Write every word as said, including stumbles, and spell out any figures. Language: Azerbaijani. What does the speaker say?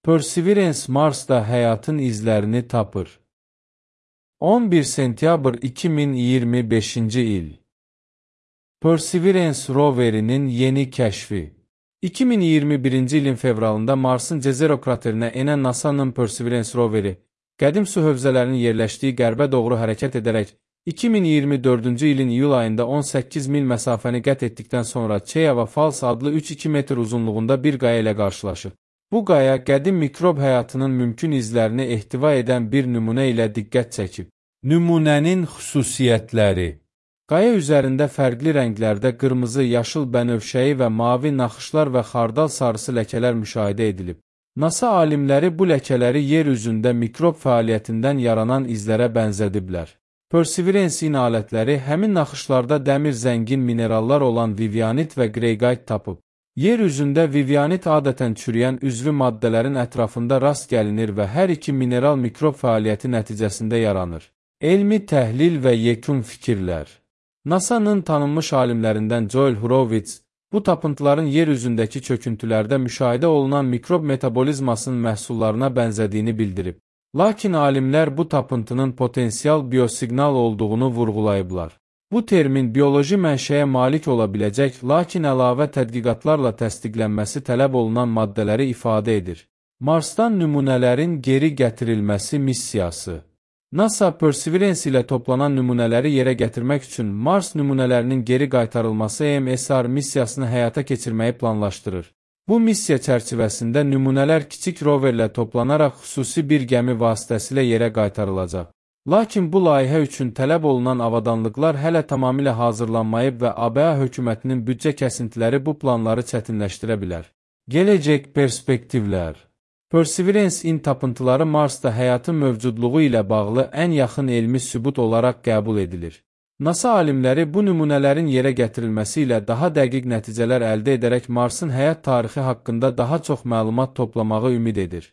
Perseverance Marsda həyatın izlərini tapır. on bir sentyabr iki min iyirmi beşinci il. Perseverance roverinin yeni kəşfi. iki min iyirmi birinci ilin fevralında Marsın Jezero kraterinə enən NASA'nın Perseverance roveri, qədim su hövzələrinin yerləşdiyi qərbə doğru hərəkət edərək, iki min iyirmi dördüncü ilin iyul ayında on səkkiz mil məsafəni qət etdikdən sonra Cheava Falls adlı üç iki metr uzunluğunda bir qaya ilə qarşılaşır. Bu qaya qədim mikrob həyatının mümkün izlərini ehtiva edən bir nümunə ilə diqqət çəkib. Nümunənin xüsusiyyətləri. Qaya üzərində fərqli rənglərdə qırmızı, yaşıl bənövşəyi və mavi naxışlar və xardal sarısı ləkələr müşahidə edilib. NASA alimləri bu ləkələri yer üzündə mikrob fəaliyyətindən yaranan izlərə bənzədiblər. Perseverance-in alətləri həmin naxışlarda dəmir zəngin minerallar olan vivianit və qreyqayt tapıb. Yer üzündə vivianit adətən çürüyən üzvü maddələrin ətrafında rast gəlinir və hər iki mineral mikrob fəaliyyəti nəticəsində yaranır. Elmi təhlil və yekun fikirlər. NASA'nın tanınmış alimlərindən Joel Horowitz, bu tapıntıların yer üzündəki çöküntülərdə müşahidə olunan mikrob metabolizmasının məhsullarına bənzədiyini bildirib. Lakin alimlər bu tapıntının potensial biosiqnal olduğunu vurğulayıblar. Bu termin bioloji mənşəyə malik ola biləcək, lakin əlavə tədqiqatlarla təsdiqlənməsi tələb olunan maddələri ifadə edir. Marsdan nümunələrin geri gətirilməsi missiyası. NASA Perseverance ilə toplanan nümunələri yerə gətirmək üçün Mars nümunələrinin geri qaytarılması E M S R missiyasını həyata keçirməyi planlaşdırır. Bu missiya çərçivəsində nümunələr kiçik roverlə toplanaraq xüsusi bir gəmi vasitəsilə yerə qaytarılacaq. Lakin bu layihə üçün tələb olunan avadanlıqlar hələ tamamilə hazırlanmayıb və A B A hökumətinin büdcə kəsintiləri bu planları çətinləşdirə bilər. Gələcək perspektivlər. Perseverance-in tapıntıları Marsda həyatın mövcudluğu ilə bağlı ən yaxın elmi sübut olaraq qəbul edilir. NASA alimləri bu nümunələrin yerə gətirilməsi ilə daha dəqiq nəticələr əldə edərək Marsın həyat tarixi haqqında daha çox məlumat toplamağı ümid edir.